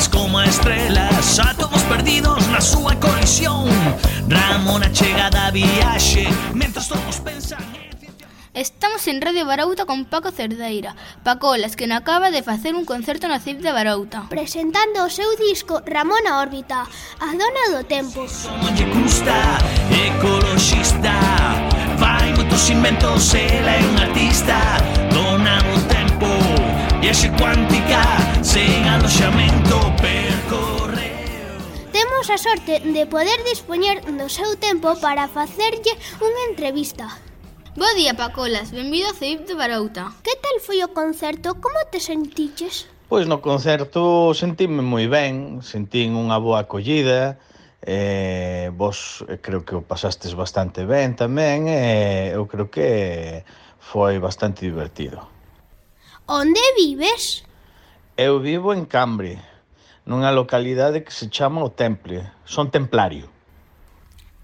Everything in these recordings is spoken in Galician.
brillas como estrelas, átomos perdidos na súa colisión. Ramona chega da viaxe, mentras todos pensan en... Estamos en Radio Barouta con Paco Cerdeira, Pacolas, que non acaba de facer un concerto na CIP de Barouta, presentando o seu disco Ramona Órbita, a dona do tempo. Non lle custa, ecoloxista, fai moitos inventos, ela é un artista. Dona do tempo, viaxe cuántica, sen aloxamento, percorreu. Temos a sorte de poder dispoñer do seu tempo para facerlle unha entrevista. Bo día, Pacolas, benvido a CIP de Barouta. Que tal foi o concerto? Como te sentiches? Pois no concerto sentíme moi ben, sentín unha boa acollida, vos creo que o pasastes bastante ben tamén, eu creo que foi bastante divertido. Onde vives? Eu vivo en Cambre, nunha localidade que se chama O Temple, son templario.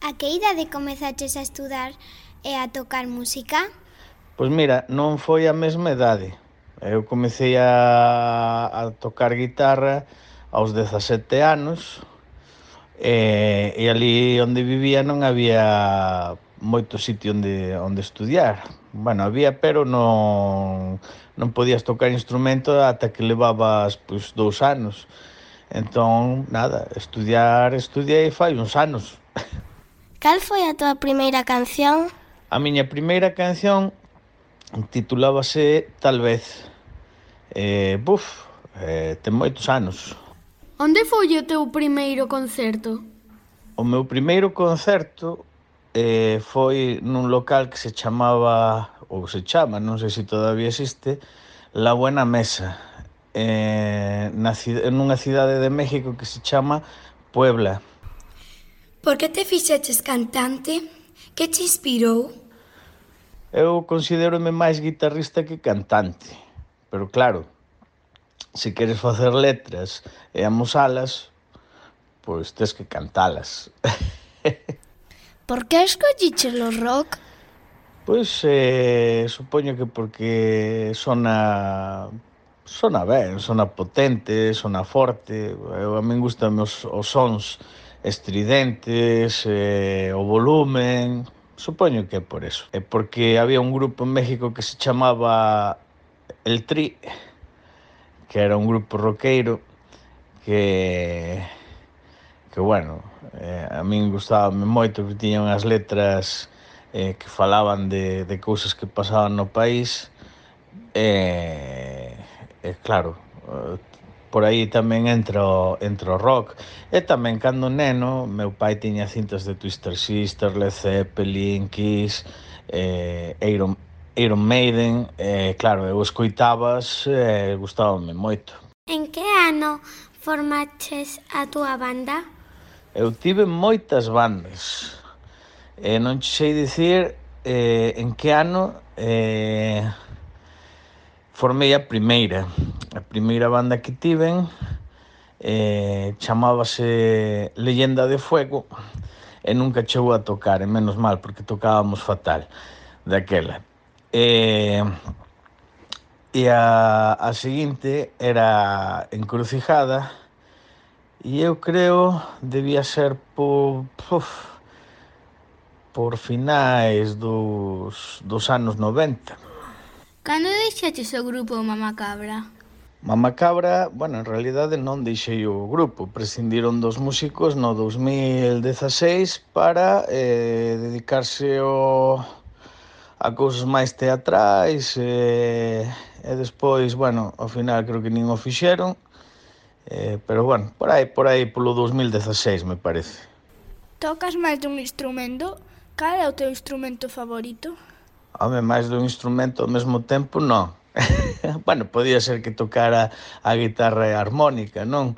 A que idade comezaches a estudar e a tocar música? Pois mira, non foi a mesma idade. Eu comecei a tocar guitarra aos 17 anos e ali onde vivía non había moito sitio onde estudiar. Bueno, había, pero non podías tocar instrumento ata que levabas 2 anos. Entón, nada, estudiei fai uns anos. Cal foi a tua primeira canción? A miña primeira canción titulábase Tal vez. Ten moitos anos. Onde foi o teu primeiro concerto? O meu primeiro concerto foi nun local que se chamaba, ou se chama, non sei se todavía existe, La Buena Mesa, nunha cidade de México que se chama Puebla. Por que te fixeches cantante? Que te inspirou? Eu considérome máis guitarrista que cantante, pero claro, se queres facer letras e amosalas, pois tes que cantalas. Por que escolliches o rock? Pois supoño que porque sona ben, sona potente, sona forte. A min gustan os sons estridentes, o volumen. Supoño que é por eso. É porque había un grupo en México que se chamaba El Tri, que era un grupo roqueiro que bueno, a min gustábame moito, que tiñan as letras que falaban de cousas que pasaban no país claro, por aí tamén entra o rock. E tamén cando neno, meu pai tiña cintas de Twisted Sister, Led Zeppelin, Kiss, Iron Maiden, claro, eu escoitabas, gustábame moito. En que ano formaches a túa banda? Eu tive moitas bandas, non che sei dicir en que ano formei a primeira banda que tiven, chamábase Leyenda de Fuego, e nunca chegou a tocar, e menos mal, porque tocábamos fatal daquela. E a seguinte era Encrucijada, e eu creo debía ser por finais dos anos 90. Cando deixaches o grupo Mamacabra? Mamacabra, bueno, en realidade non deixei o grupo, prescindiron dos músicos no 2016 para dedicarse a cousas máis teatrais e despois, bueno, ao final creo que nin o fixeron, pero bueno, por aí polo 2016 me parece. Tocas máis dun instrumento? Cal é o teu instrumento favorito? Home, máis dun instrumento ao mesmo tempo, non. Bueno, podía ser que tocara a guitarra e a armónica, non?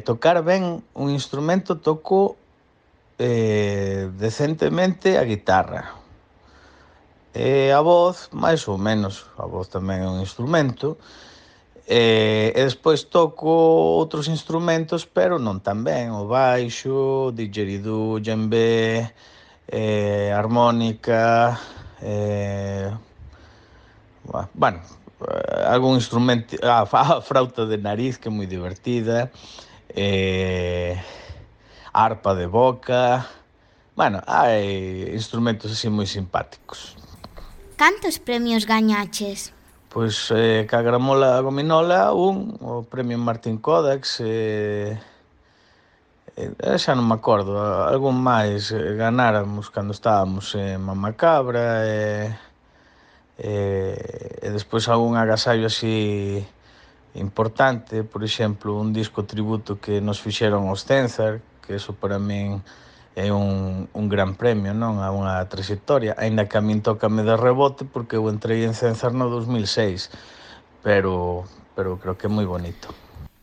Tocar ben un instrumento, toco decentemente a guitarra. A voz, máis ou menos, a voz tamén é un instrumento. E despois toco outros instrumentos, pero non tan ben, o baixo, didgeridoo, djembé, armónica, bueno, algún instrumento, a frauta de nariz, que é moi divertida, arpa de boca. Bueno, hai instrumentos así moi simpáticos. Cantos premios gañaches? Pois ca gramola gominola o premio Martín Kodax, xa non me acordo, algún máis ganáramos cando estábamos en Mamacabra, e despois algún agasallo así importante, por exemplo, un disco tributo que nos fixeron aos Cenzar, que eso para min é un gran premio, non? A unha trayectoria, aínda que a min tócame de rebote porque eu entrei en Cenzar no 2006, pero creo que é moi bonito.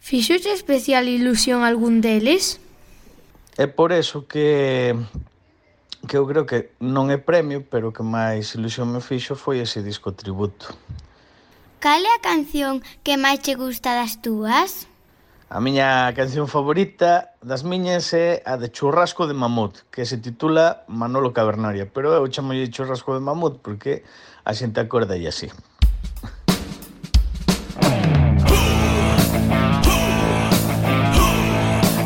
Fixoche especial ilusión algún deles? É por eso que eu creo que non é premio, pero que máis ilusión me fixo foi ese disco tributo. Cal é a canción que máis che gusta das túas? A miña canción favorita das miñas é a de Churrasco de Mamut, que se titula Manolo Cavernaria, pero eu chamolle Churrasco de Mamut porque a xente acorda e así.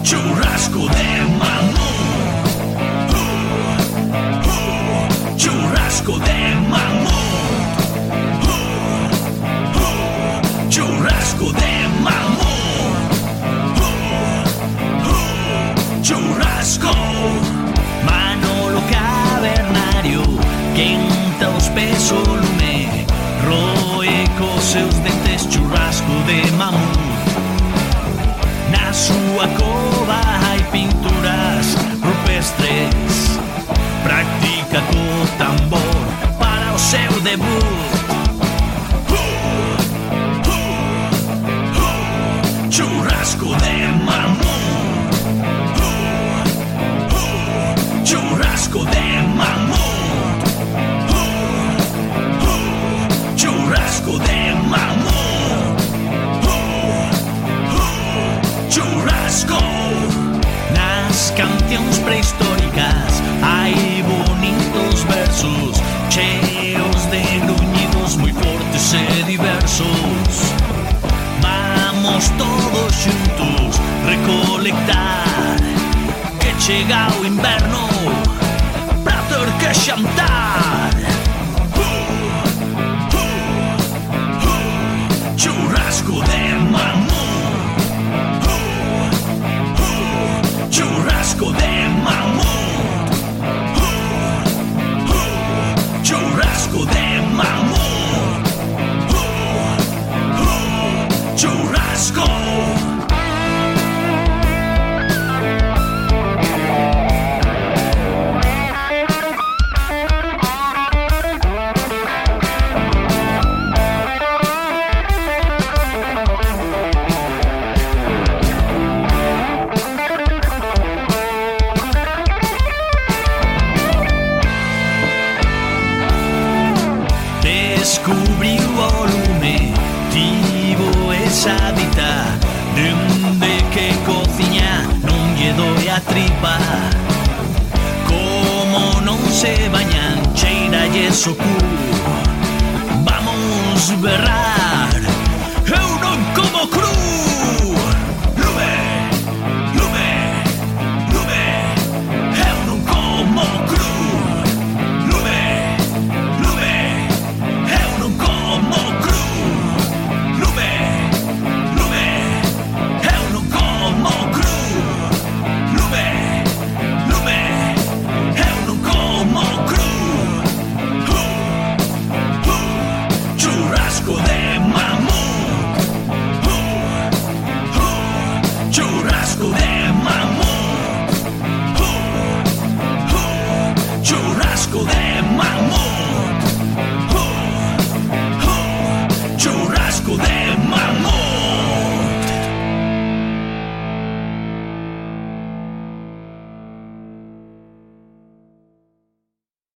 Churrasco de mamut. Churrasco de mamut. Churrasco de mamut. Churrasco. Manolo Cavernario quenta os pés o lume, roe cos seus dentes churrasco de mamut. Na súa cova hai pinturas rupestres, practica co tambor para o seu debut. Churrasco de mamut. Churrasco de mamut. Churrasco de mamut. Churrasco. Nas cancións prehistóricas hai bonitos versos cheos de gruñidos moi fortes e diversos. Vamos todos xuntos recolectar, que chega o inverno pra ter que xantar. Churrasco de mamut. Churrasco de mamut. Churrasco de mamut. Churrasco. Descubriu o lume, tivo esa dita, dende que cociña non lle doi a tripa. Como non se bañan, cheiralle o cu, vamos berrar.